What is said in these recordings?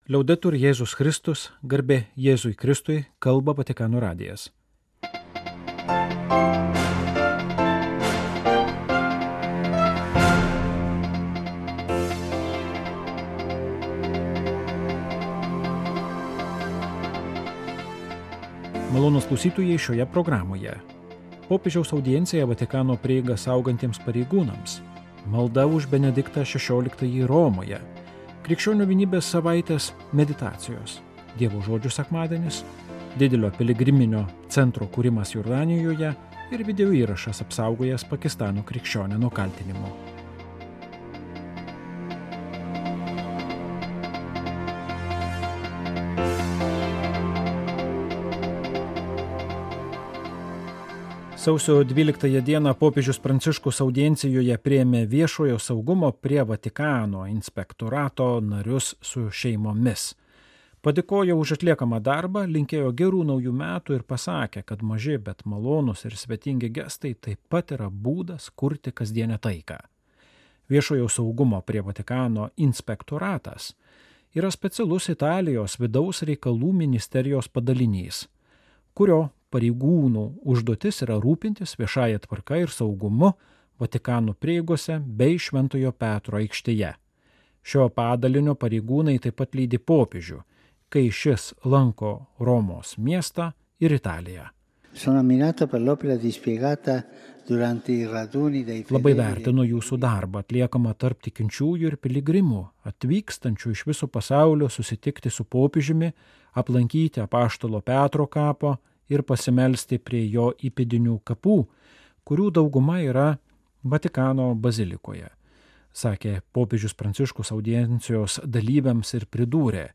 Liaudetur Jėzus Kristus, garbė Jėzui Kristui, kalba Vatikano radijas. Malonūs klausytojai šioje programoje. Popiežiaus audiencija Vatikano prieigą saugantiems pareigūnams. Malda už Benediktą XVI Romoje. Krikščionių vienybės savaitės meditacijos. Dievo žodžių sekmadienis. Didelio piligriminio centro kūrimas Jordanijoje ir video įrašas apsaugojęs Pakistano krikščionę nuo kaltinimų. Sausio 12 dieną popiežius Pranciškus audiencijoje priėmė viešojo saugumo prie Vatikano inspektorato narius su šeimomis. Padėkojo už atliekamą darbą, linkėjo gerų naujų metų ir pasakė, kad maži, bet malonūs ir svetingi gestai taip pat yra būdas kurti kasdienę taiką. Viešojo saugumo prie Vatikano inspektoratas yra specialus Italijos vidaus reikalų ministerijos padalinys, kurio pareigūnų užduotis yra rūpintis viešąja tvarka ir saugumu Vatikano prieigose bei Šventojo Petro aikštėje. Šio padalinio pareigūnai taip pat lydi popiežių, kai šis lanko Romos miestą ir Italiją. Labai vertinu jūsų darbą atliekamą tarp tikinčiųjų ir piligrimų, atvykstančių iš viso pasaulio susitikti su popiežiumi, aplankyti apaštalo Petro kapo ir pasimelsti prie jo įpėdinių kapų, kurių dauguma yra Vatikano bazilikoje, sakė popiežius Pranciškus audiencijos dalyviams ir pridūrė,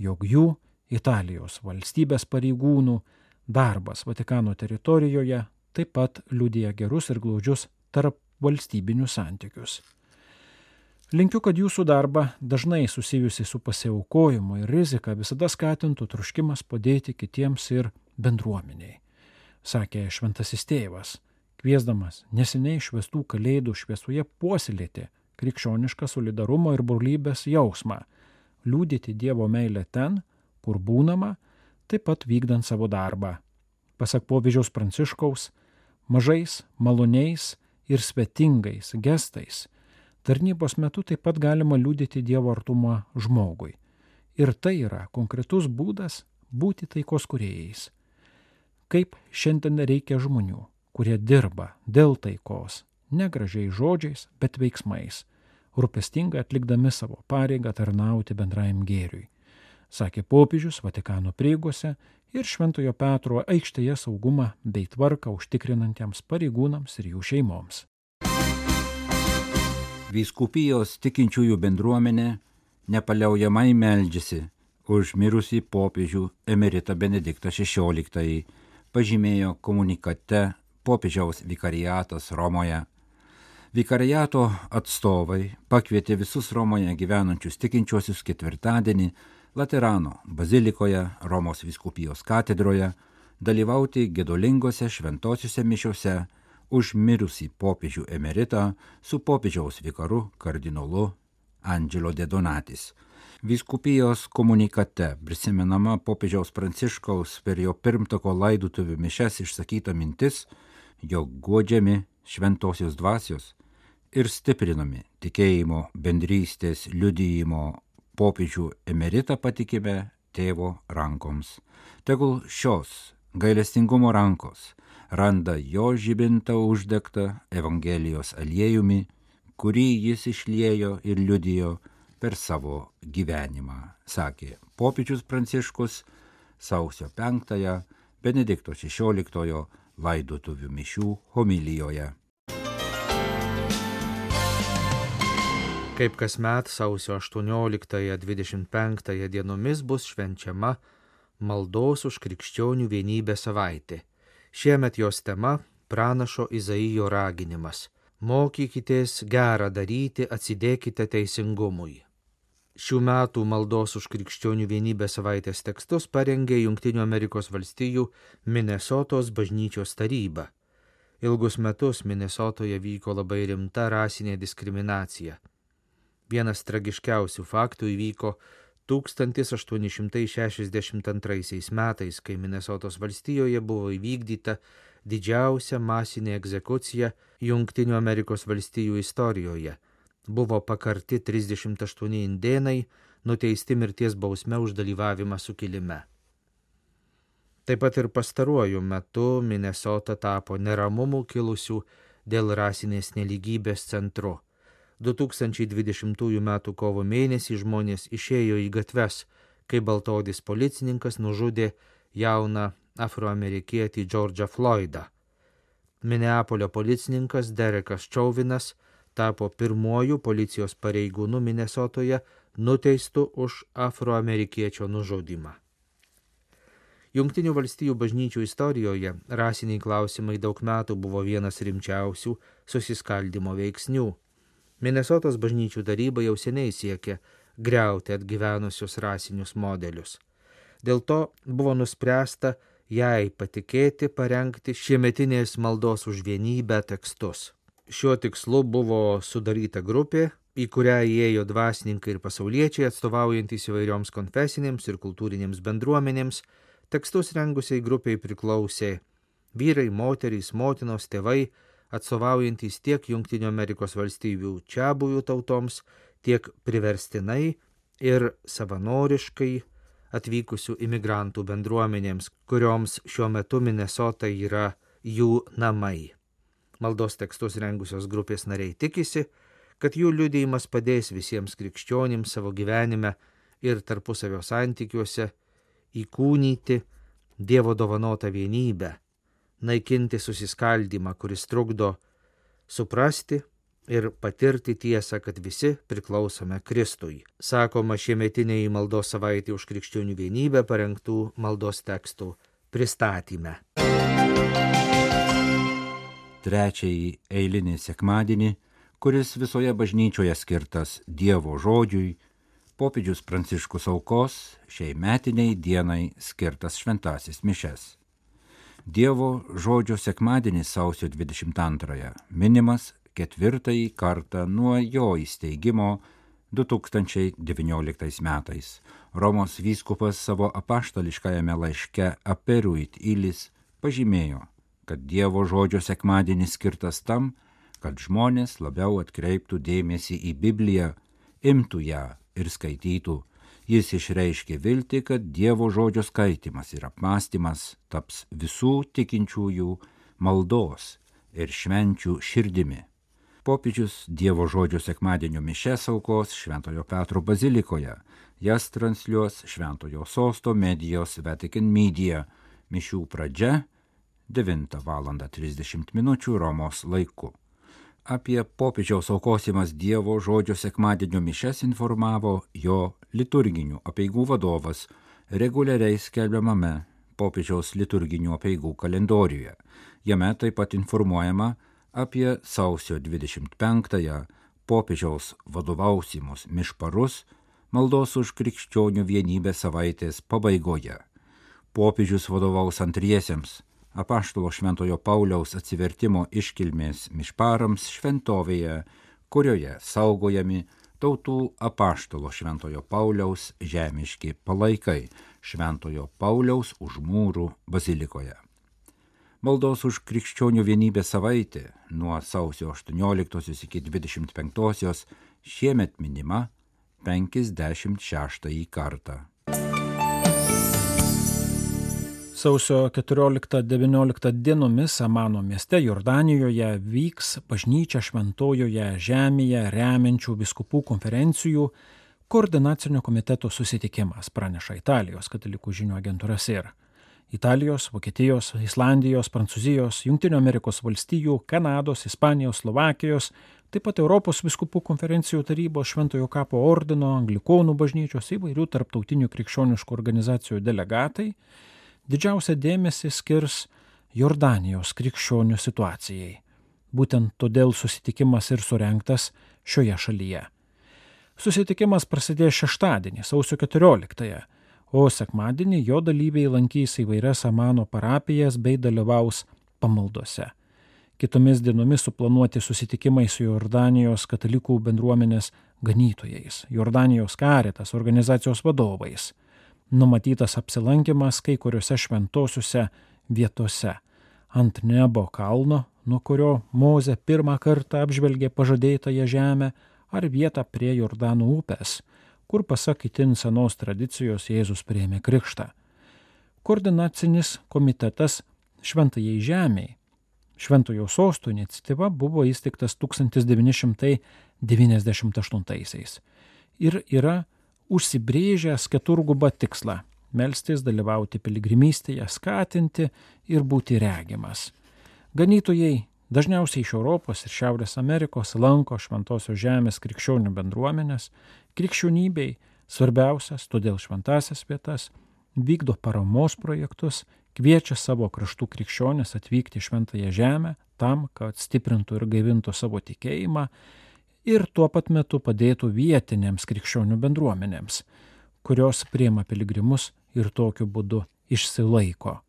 jog jų Italijos valstybės pareigūnų darbas Vatikano teritorijoje taip pat liudija gerus ir glaudžius tarp valstybinius santykius. Linkiu, kad jūsų darbą dažnai susijusi su pasiaukojimu ir rizika visada skatintų troškimas padėti kitiems ir bendruomeniai, sakė šventasis tėvas, kviesdamas neseniai švęstų kalėdų šviesoje puoselėti krikščionišką solidarumo ir brolybės jausmą, liudyti Dievo meilę ten, kur būnama, taip pat vykdant savo darbą. Pasak popiežiaus Pranciškaus, mažais, maloniais ir svetingais gestais tarnybos metu taip pat galima liudyti Dievo artumą žmogui. Ir tai yra konkretus būdas būti taikos kūrėjais. Kaip šiandien reikia žmonių, kurie dirba dėl taikos, ne gražiais žodžiais, bet veiksmais, rūpestingai atlikdami savo pareigą tarnauti bendrajam gėriui, sakė popiežius Vatikano prieigose ir Šventojo Petro aikštėje saugumą bei tvarką užtikrinantiems pareigūnams ir jų šeimoms. Vyskupijos tikinčiųjų bendruomenė nepaliaujamai meldžiasi už mirusį popiežių emeritą Benediktą XVI, pažymėjo komunikate popiežiaus vikariatas Romoje. Vikariato atstovai pakvietė visus Romoje gyvenančius tikinčiuosius ketvirtadienį Laterano bazilikoje Romos vyskupijos katedroje dalyvauti gedulingose šventosiuose mišiose už mirusį popiežių emeritą su popiežiaus vikaru kardinolu Angelo de Donatis. Vyskupijos komunikate prisimenama popiežiaus Pranciškaus per jo pirmtako laidotuvių mišias išsakyta mintis, jog guodžiami šventosios dvasios ir stiprinami tikėjimo bendrystės liudijimo popiežių emeritą patikime tėvo rankoms. Tegul šios gailestingumo rankos randa jo žibintą uždegtą Evangelijos aliejumi, kurį jis išliejo ir liudijo per savo gyvenimą, sakė popiežius Pranciškus sausio 5 Benedikto XVI laidotuvių mišių homilijoje. Kaip kasmet sausio 18-25 dienomis bus švenčiama maldos už krikščionių vienybę savaitė. Šiemet jos tema pranašo Izaijo raginimas. Mokykitės gerą daryti, atsidėkite teisingumui. Šių metų maldos už krikščionių vienybę savaitės tekstus parengė Jungtinių Amerikos valstijų Minesotos bažnyčios taryba. Ilgus metus Minesotoje vyko labai rimta rasinė diskriminacija. Vienas tragiškiausių faktų įvyko 1862 metais, kai Minesotos valstijoje buvo įvykdyta didžiausia masinė egzekucija Jungtinių Amerikos valstijų istorijoje. Buvo pakarti 38 indėnai, nuteisti mirties bausme už dalyvavimą sukilime. Taip pat ir pastaruoju metu Minesota tapo neramumų kilusių dėl rasinės nelygybės centru. 2020 m. kovo mėnesį žmonės išėjo į gatves, kai baltaodis policininkas nužudė jauną afroamerikietį George'ą Floydą. Mineapolio policininkas Derekas Chauvinas tapo pirmuoju policijos pareigūnu Minesotoje nuteistu už afroamerikiečio nužudymą. Jungtinių valstijų bažnyčių istorijoje rasiniai klausimai daug metų buvo vienas rimčiausių susiskaldimo veiksnių. Minesotos bažnyčių taryba jau seniai siekė griauti atgyvenusius rasinius modelius. Dėl to buvo nuspręsta jai patikėti parengti šiemetinės maldos už vienybę tekstus. Šiuo tikslu buvo sudaryta grupė, į kurią įėjo dvasininkai ir pasauliečiai atstovaujantys įvairioms konfesinėms ir kultūrinėms bendruomenėms. Tekstus rengusiai grupiai priklausė vyrai, moterys, motinos, tėvai, atstovaujantys tiek Jungtinių Amerikos valstybių čiabuvių tautoms, tiek priverstinai ir savanoriškai atvykusių imigrantų bendruomenėms, kurioms šiuo metu Minesota yra jų namai. Maldos tekstus rengusios grupės nariai tikisi, kad jų liudijimas padės visiems krikščionims savo gyvenime ir tarpusavio santykiuose įkūnyti Dievo dovanotą vienybę, naikinti susiskaldymą, kuris trukdo suprasti ir patirti tiesą, kad visi priklausome Kristui. Sakoma šiemetinėje maldos savaitė už krikščionių vienybę parengtų maldos tekstų pristatyme. Trečiąjį eilinį sekmadienį, kuris visoje bažnyčioje skirtas Dievo žodžiui, popiežius Pranciškus aukos šiai metiniai dienai skirtas šventasis mišes. Dievo žodžio sekmadienis sausio 22 minimas 4 kartą nuo jo įsteigimo 2019 metais. Romos vyskupas savo apaštališkajame laiške Aperuit Ilis pažymėjo, kad Dievo žodžio sekmadienis skirtas tam, kad žmonės labiau atkreiptų dėmesį į Bibliją, imtų ją ir skaitytų. Jis išreiškė viltį, kad Dievo žodžio skaitimas ir apmąstymas taps visų tikinčiųjų maldos ir švenčių širdimi. Popiežius Dievo žodžio sekmadienio mišes aukos Šventojo Petro bazilikoje. Jas transliuos Šventojo sosto medijos Vatican Media. Mišių pradžia 9:30 Romos laiku. Apie popiežiaus aukosimas Dievo žodžio sekmadienio mišes informavo jo liturginių apeigų vadovas reguliariai skelbiamame popiežiaus liturginių apeigų kalendoriuje. Jame taip pat informuojama apie sausio 25-ąją popiežiaus vadovausimus mišparus maldos už krikščionių vienybę savaitės pabaigoje. Popiežius vadovaus antriesiems apaštalo Šventojo Pauliaus atsivertimo iškilmės mišparams šventovėje, kurioje saugojami tautų apaštalo Šventojo Pauliaus žemiški palaikai Šventojo Pauliaus už mūrų bazilikoje. Maldos už krikščionių vienybę savaitė nuo sausio 18 iki 25 šiemet minima 56 kartą. Sausio 14-19 dienomis Amano mieste Jordanijoje vyks bažnyčia šventojoje žemėje remiančių vyskupų konferencijų koordinacinio komiteto susitikimas, praneša Italijos katalikų žinių agentūra SIR. Italijos, Vokietijos, Islandijos, Prancūzijos, Jungtinių Amerikos valstijų, Kanados, Ispanijos, Slovakijos, taip pat Europos vyskupų konferencijų tarybos, Šventojo kapo ordino, Anglikonų bažnyčios įvairių tarptautinių krikščioniškų organizacijų delegatai didžiausią dėmesį skirs Jordanijos krikščionių situacijai. Būtent todėl susitikimas ir surengtas šioje šalyje. Susitikimas prasidės šeštadienį, sausio 14-ąją, o sekmadienį jo dalyviai lankys įvairias Amano parapijas bei dalyvaus pamaldose. Kitomis dienomis suplanuoti susitikimai su Jordanijos katalikų bendruomenės ganytojais, Jordanijos Caritas organizacijos vadovais. Numatytas apsilankimas kai kuriuose šventosiuose vietose ant Nebo kalno, nuo kurio Mozė pirmą kartą apžvelgė pažadėtąją žemę, ar vietą prie Jordano upės, kur pasak itin senos tradicijos Jėzus priėmė krikštą. Koordinacinis komitetas Šventajai žemei, Šventojo sosto iniciatyva buvo įsteigtas 1998 ir yra užsibrėžęs keturgubą tikslą – melstis, dalyvauti piligrimystėje, skatinti ir būti regimas. Ganytojai dažniausiai iš Europos ir Šiaurės Amerikos lanko Šventosios žemės krikščionių bendruomenės, krikščionybei svarbiausias, todėl šventasias vietas, vykdo paramos projektus, kviečia savo kraštų krikščionis atvykti į Šventąją žemę tam, kad stiprintų ir gaivintų savo tikėjimą ir tuo pat metu padėtų vietinėms krikščionių bendruomenėms, kurios priima piligrimus ir tokiu būdu išsilaiko.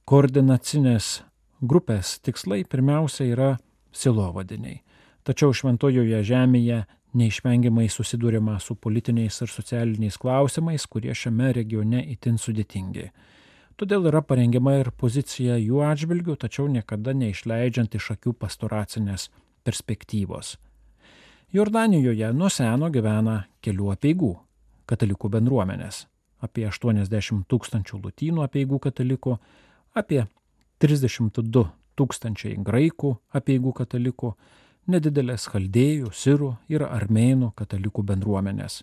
Koordinacinės grupės tikslai pirmiausia yra sielovadiniai, tačiau Šventojoje žemėje neišvengiamai susidūrima su politiniais ir socialiniais klausimais, kurie šiame regione itin sudėtingi. Todėl yra parengiama ir pozicija jų atžvilgių, tačiau niekada neišleidžiant iš akių pastoracinės perspektyvos. Jordanijoje nuo seno gyvena kelių apeigų katalikų bendruomenės, apie 80 000 lotynų apeigų katalikų, apie 32 000 graikų apeigų katalikų, nedidelės chaldėjų, sirų ir armėnų katalikų bendruomenės.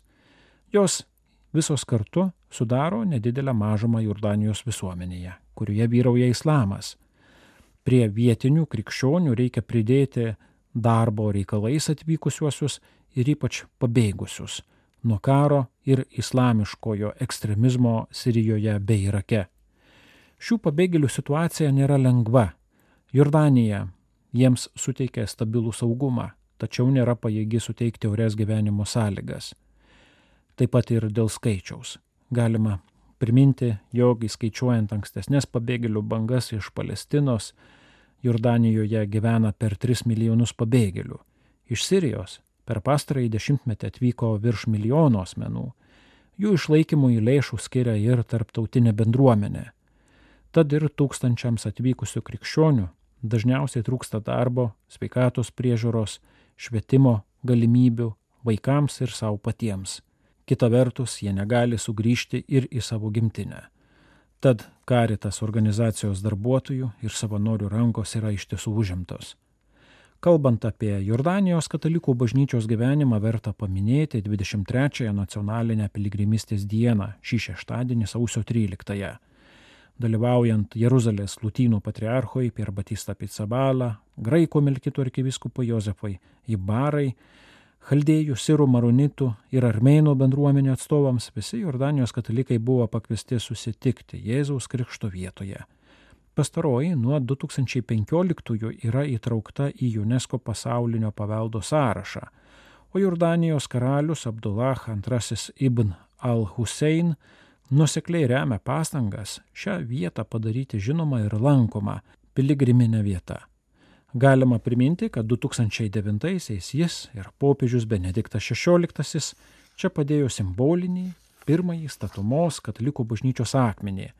Jos visos kartu sudaro nedidelę mažumą Jordanijos visuomenėje, kurioje vyrauja islamas. Prie vietinių krikščionių reikia pridėti darbo reikalais atvykusiuosius ir ypač pabėgusius nuo karo ir islamiškojo ekstremizmo Sirijoje bei Irake. Šių pabėgėlių situacija nėra lengva. Jordanija jiems suteikia stabilų saugumą, tačiau nėra pajėgi suteikti orias gyvenimo sąlygas. Taip pat ir dėl skaičiaus. Galima priminti, jog įskaičiuojant ankstesnės pabėgėlių bangas iš Palestinos, Jordanijoje gyvena per 3 milijonus pabėgėlių. Iš Sirijos per pastarąjį dešimtmetį atvyko virš milijono asmenų. Jų išlaikymui lėšų skiria ir tarptautinė bendruomenė. Tad ir tūkstančiams atvykusių krikščionių dažniausiai trūksta darbo, sveikatos priežiūros, švietimo galimybių vaikams ir savo patiems. Kita vertus, jie negali sugrįžti ir į savo gimtinę. Tad Caritas organizacijos darbuotojų ir savanorių rankos yra iš tiesų užimtos. Kalbant apie Jordanijos katalikų bažnyčios gyvenimą, verta paminėti 23-ąją nacionalinę piligrimystės dieną, šį šeštadienį sausio 13-ąją. Dalyvaujant Jeruzalės lotynų patriarchui Pier Batista Pizzaballa, graikų melkito arkivyskupui Jozefui Ibarai, chaldėjų, sirų, maronitų ir armėnų bendruomenių atstovams visi Jordanijos katalikai buvo pakviesti susitikti Jėzaus krikšto vietoje. Pastaroji nuo 2015 yra įtraukta į UNESCO pasaulinio paveldo sąrašą, o Jordanijos karalius Abdullah II ibn al-Husein nuosekliai remia pastangas šią vietą padaryti žinomą ir lankomą piligriminę vietą. Galima priminti, kad 2009-aisiais jis ir popiežius Benediktas XVI čia padėjo simbolinį pirmąjį statomos katalikų bažnyčios akmenį.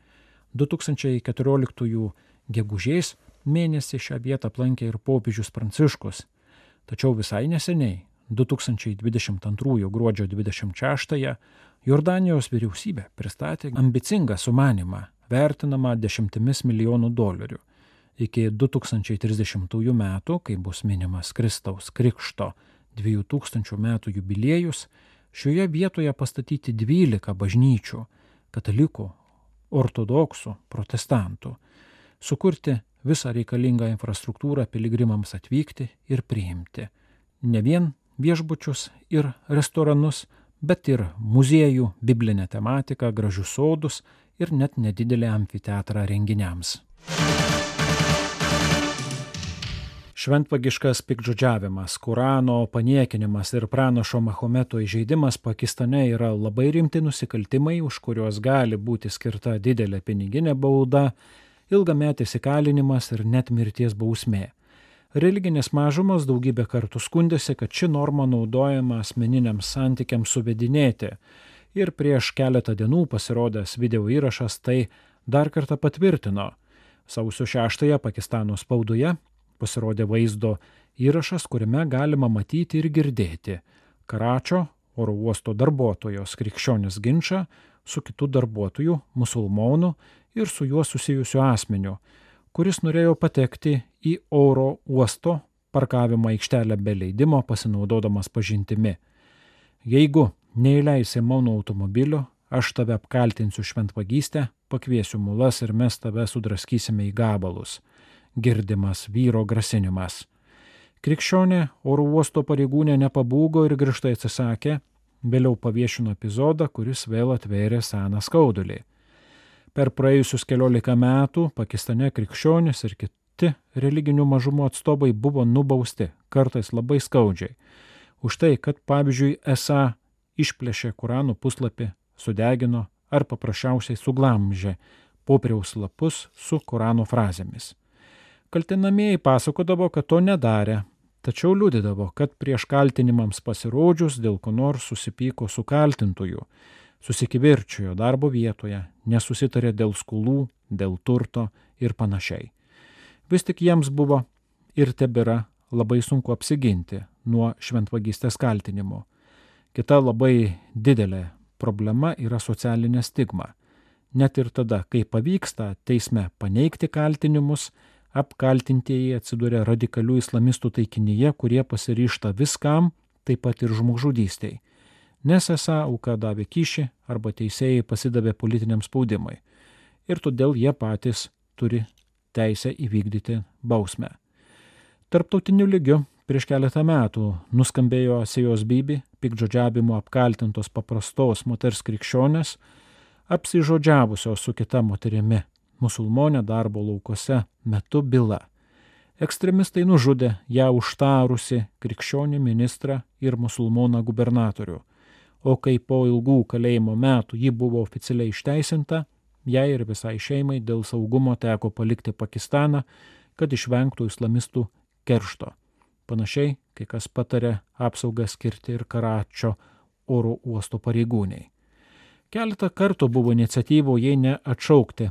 2014 gegužės mėnesį šią vietą aplankė ir popiežius Pranciškus. Tačiau visai neseniai, 2022 gruodžio 26-ąją, Jordanijos vyriausybė pristatė ambicingą sumanymą, vertinamą $10 milijonų. Iki 2030 metų, kai bus minimas Kristaus krikšto 2000 metų jubiliejus, šioje vietoje pastatyti 12 bažnyčių, katalikų, ortodoksų, protestantų, sukurti visą reikalingą infrastruktūrą piligrimams atvykti ir priimti. Ne vien viešbučius ir restoranus, bet ir muziejų, biblinę tematiką, gražius sodus ir net nedidelį amfiteatrą renginiams. Šventvagiškas piktžodžiavimas, Korano paniekinimas ir pranašo Mahometo įžeidimas Pakistane yra labai rimti nusikaltimai, už kuriuos gali būti skirta didelė piniginė bauda, ilgametis įkalinimas ir net mirties bausmė. Religinės mažumos daugybę kartų skundėsi, kad ši norma naudojama asmeniniams santykiams suvedinėti. Ir prieš keletą dienų pasirodęs video įrašas tai dar kartą patvirtino. Sausio 6-ąją Pakistano spaudoje pasirodė vaizdo įrašas, kuriame galima matyti ir girdėti Karačio oro uosto darbuotojos krikščionis ginčą su kitu darbuotoju, musulmonu ir su juo susijusiu asmeniu, kuris norėjo patekti į oro uosto parkavimo aikštelę be leidimo pasinaudodamas pažintimi. Jeigu neįleisi mano automobilio, aš tave apkaltinsiu šventvagystę, pakviesiu mulas ir mes tave sudraskysime į gabalus. Girdimas vyro grasinimas. Krikščionė oro uosto pareigūnė nepabūgo ir griežtai atsisakė, vėliau paviešino epizodą, kuris vėl atvėrė seną skaudulį. Per praėjusius 14 metų Pakistane krikščionys ir kiti religinių mažumų atstovai buvo nubausti, kartais labai skaudžiai, už tai, kad pavyzdžiui esą išplėšė Kurano puslapį, sudegino ar paprasčiausiai suglamžė popieriaus lapus su Kurano frazėmis. Kaltinamieji pasakodavo, kad to nedarė, tačiau liudydavo, kad prieš kaltinimams pasirodžius dėl ko nors susipyko su kaltintoju, susikivirčijo darbo vietoje, nesusitarė dėl skolų, dėl turto ir panašiai. Vis tik jiems buvo ir tebėra labai sunku apsiginti nuo šventvagystės kaltinimo. Kita labai didelė problema yra socialinė stigma. Net ir tada, kai pavyksta teisme paneigti kaltinimus, apkaltintieji atsiduria radikalių islamistų taikinyje, kurie pasiryžta viskam, taip pat ir žmogžudystei. Nes esą auka davė kyšį arba teisėjai pasidavė politiniam spaudimui. Ir todėl jie patys turi teisę įvykdyti bausmę. Tarptautiniu lygiu prieš keletą metų nuskambėjo Asijos Bibi, piktžodžiavimu apkaltintos paprastos moters krikščionės, apsižodžiavusios su kita moterimi, musulmonė darbo laukose metu byla. Ekstremistai nužudė ją užtarusi krikščionį ministrą ir musulmoną gubernatorių, o kai po ilgų kalėjimo metų ji buvo oficialiai išteisinta, jai ir visai šeimai dėl saugumo teko palikti Pakistaną, kad išvengtų islamistų keršto. Panašiai, kai kas patarė apsaugą skirti ir Karačio oro uosto pareigūniai. Keletą kartų buvo iniciatyvų, jei ne atšaukti,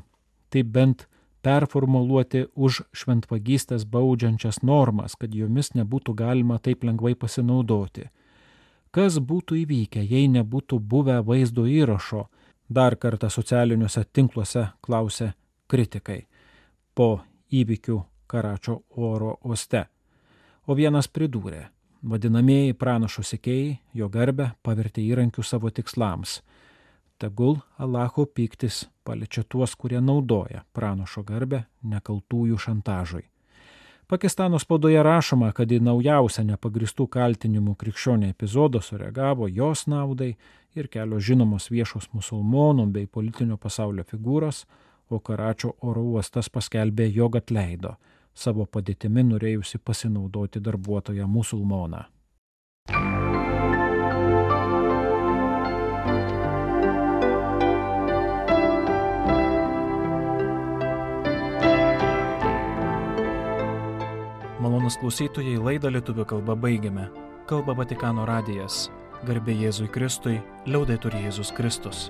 tai bent performuluoti už šventvagystės baudžiančias normas, kad jomis nebūtų galima taip lengvai pasinaudoti. Kas būtų įvykę, jei nebūtų buvę vaizdo įrašo, dar kartą socialiniuose tinkluose klausė kritikai po įvykių Karačio oro uoste. O vienas pridūrė, vadinamieji pranašo sekėjai jo garbę pavertė įrankiu savo tikslams. Tegul Allaho pyktis paliečia tuos, kurie naudoja pranašo garbę nekaltųjų šantažui. Pakistano spaudoje rašoma, kad į naujausią nepagristų kaltinimų krikščionį epizodą sureagavo jos naudai ir kelios žinomos viešos musulmonų bei politinio pasaulio figūros, o Karačio oro uostas paskelbė, jog atleido savo padėtimi norėjusi pasinaudoti darbuotoją musulmoną. Malonūs klausytojai, laidą lietuvių kalba baigiame. Kalba Vatikano radijas. Garbė Jėzui Kristui, liaudetur Jėzus Kristus.